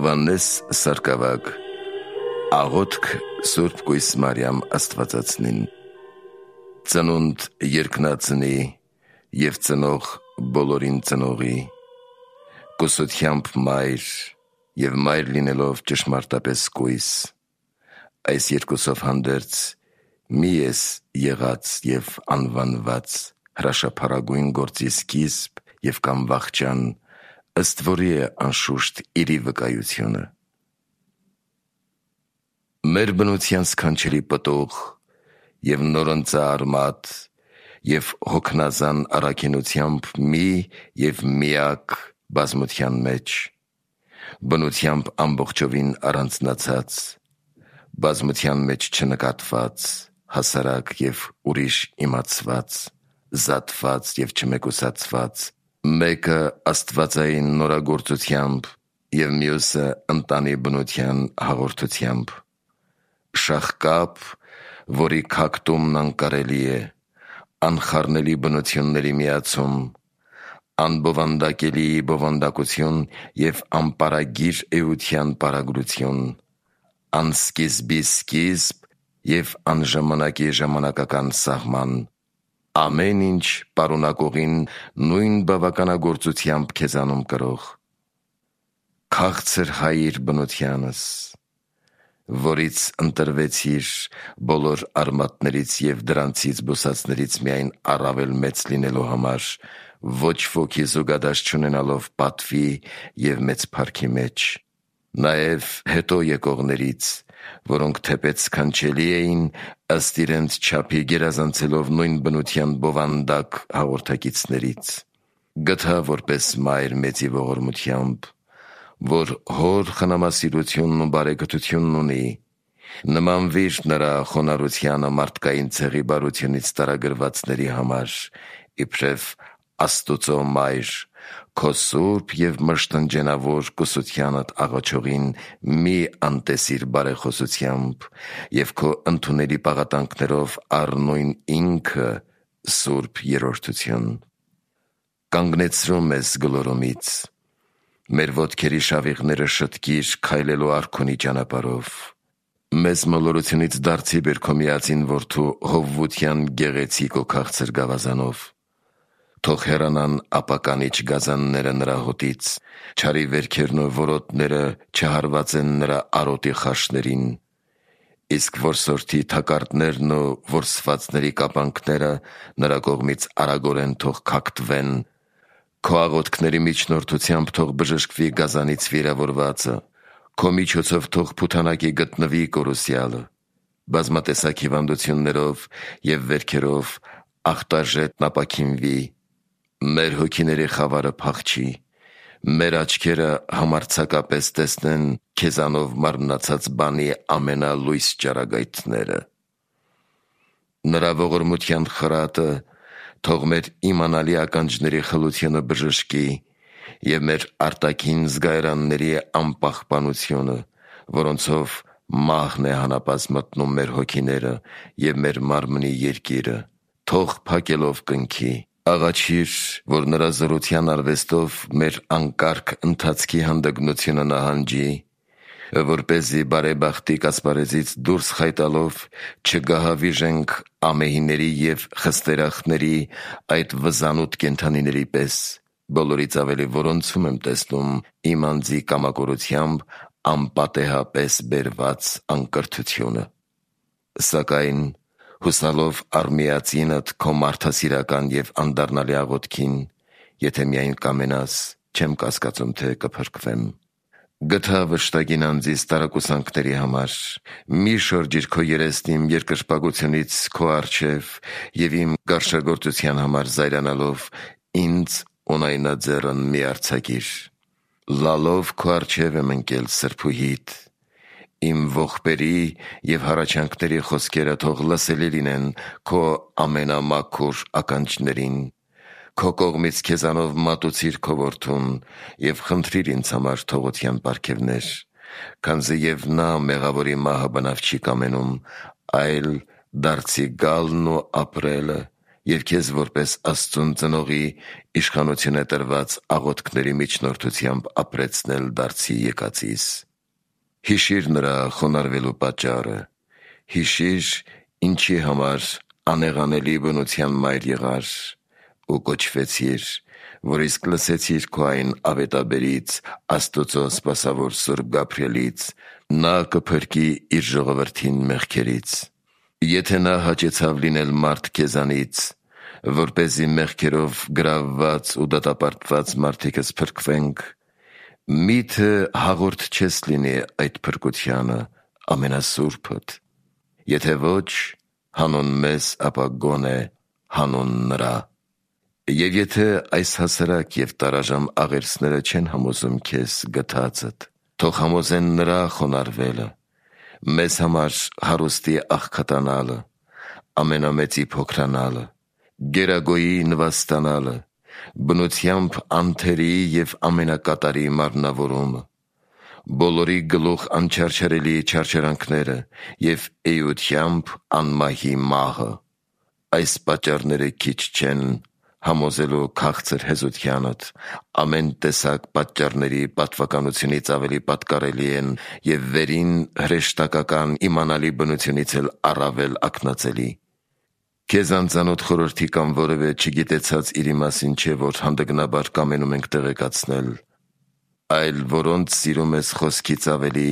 Հովանես Սարգսակ Աղոթք Սուրբ Կույս Մարիամ Աստվածածնին Ծնունդ երկնածնի և ծնող բոլորին ծնողի, կուսությամբ մայր և մայր լինելով ճշմարտապես կույս, այս երկուսով հանդերձ մի ես եղած և անվանված հրաշափառագույն գործի սկիզբ և կամ վախճան, ըստ որի է անշուշտ իրի վկայությունը։ Մեր բնության սքանչելի պտուղ և նորընծա արմատ և հոգնազան առաքինությամբ մի և միակ բազմության մեջ, բնությամբ ամբողջովին առանձնացած, բազմության մեջ չնկատված, հասարակ և ուրիշ իմացված, զատված և չմեկուսացված, մեկը աստվածային նորագործությամբ և մյուսը ընտանի բնության հաղորդությամբ, շաղկապ, որի քակտումն անկարելի է, անխառնելի բնությունների միացում, անբովանդակելի բովանդակություն և անպարագիր էության պարագլություն, անսկիզբի սկիզբ և անժամանակի ժամանակական սահման, ամեն ինչ պարունակողին նույն բավականագործությամբ քեզանում կրող, քաղցր Հայիր բնությանս, որից ընտրվեցիր բոլոր արմատներից և դրանցից բուսածներից միայն առավել մեծ լինելու համար, ոչ ոքի զուգադաշ չունենալով պատվի և մեծ փառքի մեջ, նաև հետո եկողներից, որոնք թեպետ սքանչելի էին, ըստ իրենց չափի գերազանցելով նույն բնության բովանդակ հաղորդակիցներից, գտա որպես մայր մեծի ողորմությամբ, որ հոր խնամասիրությունն ու բարեկթությունն ունի, նմանվիր նրա խոնարհությանը մարդկային ցեղի բարությունից տարագրվածների համար, իբրև Աստուծո մայր, քո սուրբ և մշտնջենավոր կուսությանդ աղաչողին մի անտեսիր բարեխոսությամբ և քո ընդունելի պաղատանքներով առնույն ինքը սուրբ երրորդություն, կանգնեցրում ես գլորումից, մեր ոտքերի շավիղները շտկիր քայլելու արքունի ճանապարհով, մեզ մոլորությունից դարձի բեր քո միածին որդու հովվության գեղեցիկ ու քաղցր գավազանով, թող հեռանան ապականիչ գազանները նրա հոտից, չարի վերքերն ու որոտները չհարվածեն նրա արոտի խաշներին, իսկ որսորդի թակարդներն ու որսվածների կապանքները նրա կողմից արագորեն թող քակտվեն, քո աղոթքների միջնորդությամբ թող բժշկվի գազանից վիրավորվածը, քո միջոցով թող փութանակի գտնվի կորուսյալը, բազմատեսակ հիվանդություններով և վերքերով ախտաժետն ապաքինվի, մեր հոգիների խավարը փախչի, մեր աչքերը համարձակապես տեսնեն քեզանով մարմնացած բանի ամենալույս ճառագայթները, նրա ողորմության խրատը թող մեր իմանալի ականջների խլությունը բժշկի և մեր արտաքին զգայարանների անպահպանությունը, որոնցով մահն է հանապազմ մտնում մեր հոգիները և մեր մարմնի երկիրը, թող փակելով կնքի, աղաչիր, որ նրա զորության արվեստով մեր անկարգ ընթացքի հանդգնությունը նահանջի, որպեսզի բարեբախտիկ ասպարեզից դուրս խայտալով չգահավիժենք ամեհիների և խստերախների այդ վզանութ կենդանիների պես, բոլորից ավելի որոնցում եմ տեսնում իմ անձի կամակորությամբ անպատեհապես բերված անկրթությունը, սակայն հուսալով առ միածինդ քո մարդասիրական և անդառնալի աղոթքին, եթե միայն կամենաս, չեմ կասկածում, թե կփրկվեմ, գթա վշտագին անձիս տարակուսանքների համար, մի շրջիր քո երեսն իմ երկրպագությունից քո առջև և իմ գարշագործության համար զայրանալով ինձ ունայնաձեռն մի արձակիր, լալով քո առջև եմ ընկել սրբուհիդ, իմ ողբերի և հառաչանքների խոսքերը թող լսելի լինեն քո ամենամաքուր ականջներին, քո կողմից քեզանով մատուցիր քո որդուն և խնդրիր ինձ համար թողության պարգևներ, քանզի և նա մեղավորի մահը բնավ չի կամենում, այլ դարձի գալն ու ապրելը և քեզ որպես Աստծուն ծնողի իշխանություն է տրված աղոթքների միջնորդությամբ ապրեցնել դարձի եկածիս։ Հիշիր նրա խոնարհվելու պատճառը, հիշիր ինչի համար անեղանելի բնության մայր եղար ու կոչվեցիր, որ իսկ լսեցիր քո այն ավետաբերից, Աստծո սպասավոր Սուրբ Գաբրիելից, նա կփրկի իր ժողովրդին մեղքերից։ Եթե նա հաճեցավ լինել մարդ քեզանից, որպեսզի մեղքերով գրավված ու դատապարտված մարդիկս փրկվենք, միթե հաղորդ չես լինի այդ փրկությանը ամենասուրբդ, եթե ոչ հանուն մեզ, ապա գոնե հանուն նրա։ Եվ եթե այս հասարակ և տարաժամ աղերսները չեն համոզում քեզ գթածդ, թող համոզեն նրա խոնարհվելը, մեզ համար հարուստի աղքատանալը, ամենամեծի փոքրանալը, գերագոյի նվաստանալը, բնությամբ անթերի և ամենակատարի մարմնավորումը, բոլորի գլուխ անչարչարելի չարչարանքները և էությամբ անմահի մահը, այս պատճառները քիչ չեն համոզելու քաղցր հեզությանդ, ամեն տեսակ պատճառների պատվականությունից ավելի պատկառելի են և վերին հրեշտակական իմանալի բնությունից էլ առավել ակնածելի։ Քեզ անծանոթ խորհրդի կամ որևէ չգիտեցած իրի մասին չէ, որ հանդգնաբար կամենում ենք տեղեկացնել, այլ որոնց սիրում ես խոսքից ավելի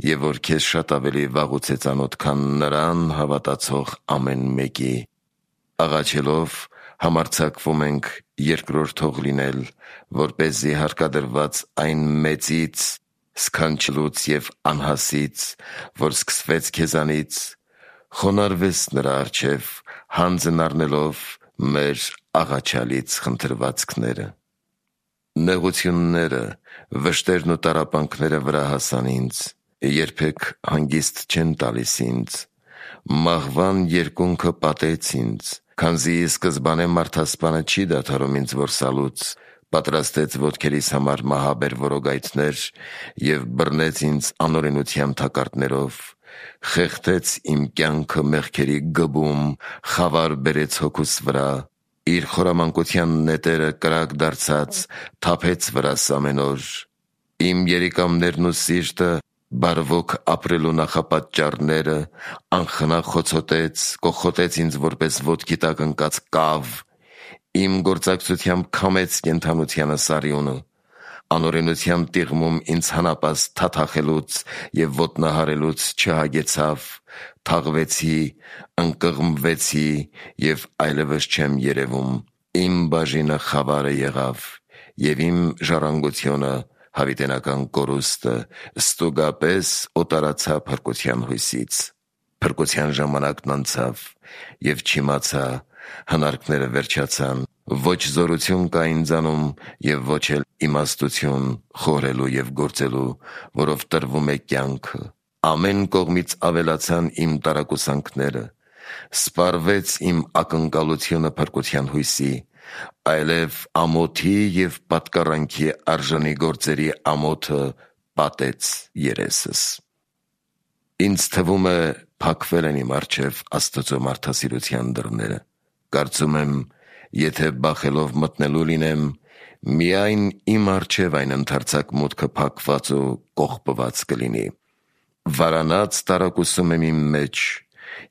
և որ քեզ շատ ավելի վաղուց է ծանոթ, քան նրան հավատացող ամեն մեկի։ Աղաչելով համարձակվում ենք երկրորդող լինել, որպեսզի հարկադրված այն մեծից, սքանչելուց և անհասից, որ սկսվեց քեզանից, խոնարհվես նրա առջև, հանձն առնելով մեր աղաչալից խնդրվածքները։ Նեղությունները, վշտերն ու տառապանքները վրա հասան ինձ, երբեք հանգիստ չեն տալիս ինձ, մահվան երկունքը պատեց ինձ, քանզի ի սկզբանե մարդասպանը չի դադարում ինձ որսալուց, պատրաստեց ոտքերիս համար մահաբեր որոգայթներ և բռնեց ինձ անօրենության թակարդներով, խեղդեց իմ կյանքը մեղքերի գբում, խավար բերեց հոգուս վրա, իր խորամանկության նետերը կրակ դարձած թափեց վրաս ամեն օր, իմ երիկամներն ու սիրտը բարվոք ապրելու նախապատճառները անխնա խոցոտեց, կոխոտեց ինձ որպես ոտքի տակ ընկած կավ, իմ գործակցությամբ քամեց կենդանությանը սարյունը, անօրենության տիղմում ինձ հանապաստ թաթախելուց և ոտնահարելուց չհագեցավ, թաղվեցի, ընկղմվեցի և այլևս չեմ երևում, իմ բաժինը խավարը եղավ և իմ ժառանգությունը հավիտենական կորուստը ստուգապես օտարացա փրկության հույսից։ Փրկության ժամանակն անցավ և չիմացա, հնարքները վերջացան, ոչ զորություն կա ինձանում և ոչ էլ իմաստություն խորհելու և գործելու, որով տրվում է կյանքը, ամեն կողմից ավելացան իմ տարակուսանքները, սպառվեց իմ ակնկալությունը փրկության հույսի, այլև ամոթի և պատկառանքի արժանի գործերի ամոթը պատեց երեսս։ Ինձ թվում է փակվել են իմ առջև Աստծո մարդասիրության դռները, կարծում եմ, եթե բախելով մտնելու լինեմ, միայն իմ առջև այն ընդարձակ մուտքը փակված ու կողպված կլինի։ Վարանած տարակուսում եմ իմ մեջ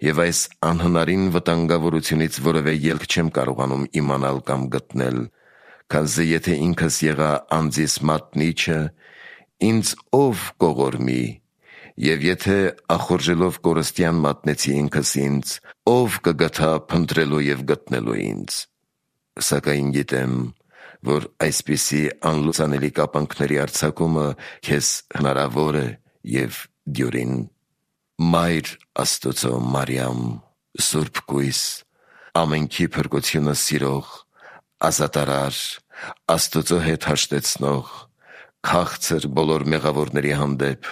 և այս անհնարին վտանգավորությունից որևէ ելք չեմ կարողանում իմանալ կամ գտնել, քանզի եթե ինքս եղա անձիս մատնիչը, ինձ ով կողորմի, և եթե ախորժելով կորստյան մատնեցի ինքս ինձ, ով կգթա փնտրելու և գտնելու ինձ։ Սակայն գիտեմ, որ այսպիսի անլուծանելի կապանքների արձակումը քեզ հնարավոր է և դյուրին։ Մայր Աստծո Մարիամ, Սուրբ Կույս, ամենքի փրկությունը սիրող, ազատարար, Աստծո հետ հաշտեցնող, քաղցր բոլոր մեղավորների հանդեպ,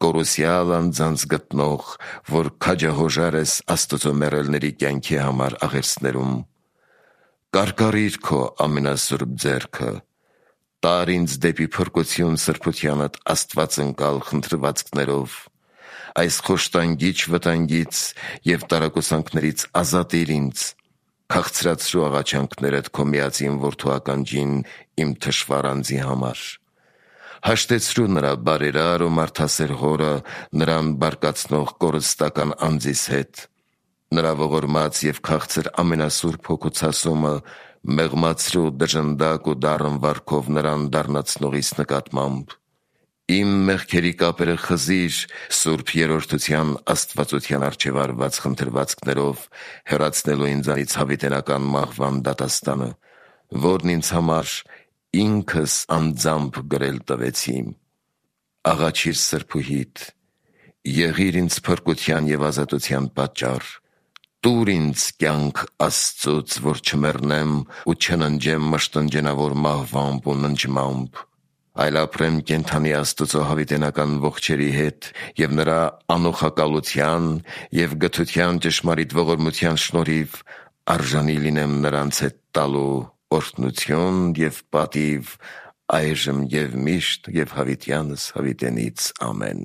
կորուսյալ անձանց գտնող, որ քաջահոժար ես Աստծո մեռելների կյանքի համար աղերսներում, կարկառիր քո ամենասուրբ ձեռքը, տար ինձ դեպի փրկություն սրբությանդ աստվածընկալ խնդրվածքներով, այս խոշտանգիչ վտանգից և տարակուսանքներից ազատիր ինձ, Քաղցրացրու աղաչանքներդ քո միածին որդու ականջին իմ թշվառ անձի համար։ Հաշտեցրու նրա բարերար ու մարդասեր հորը նրան բարկացնող կորստական անձիս հետ։ Նրա ողորմած և քաղցր ամենասուրբ հոգու ցասումը մեղմացրու դժնդակ ու դառն վարքով նրան դառնացնողիս նկատմամբ։ Իմ մեղքերի կապերը խզիր սուրբ երրորդության աստվածության առջև արված խնդրվածքներով, հեռացնելու ինձանից հավիտենական մահվան դատաստանը, որն ինձ համար ինքս անձամբ գրել տվեցի։ Աղաչիր սրբուհիդ, եղիր ինձ փրկության և ազատության պատճառ, տուր ինձ կյանք Աստծուց, որ չմեռնեմ ու չննջեմ մշտնջենավոր մահվամբ ու ննջմամբ, այլ ապրեմ կենդանի Աստծո հավիտենական ողջերի հետ և նրա անոխակալության և գթության ճշմարիտ ողորմության շնորհիվ արժանի լինեմ նրանց հետ տալու օրհնություն և պատիվ այժմ և միշտ և հավիտյանս հավիտենից։ Ամեն։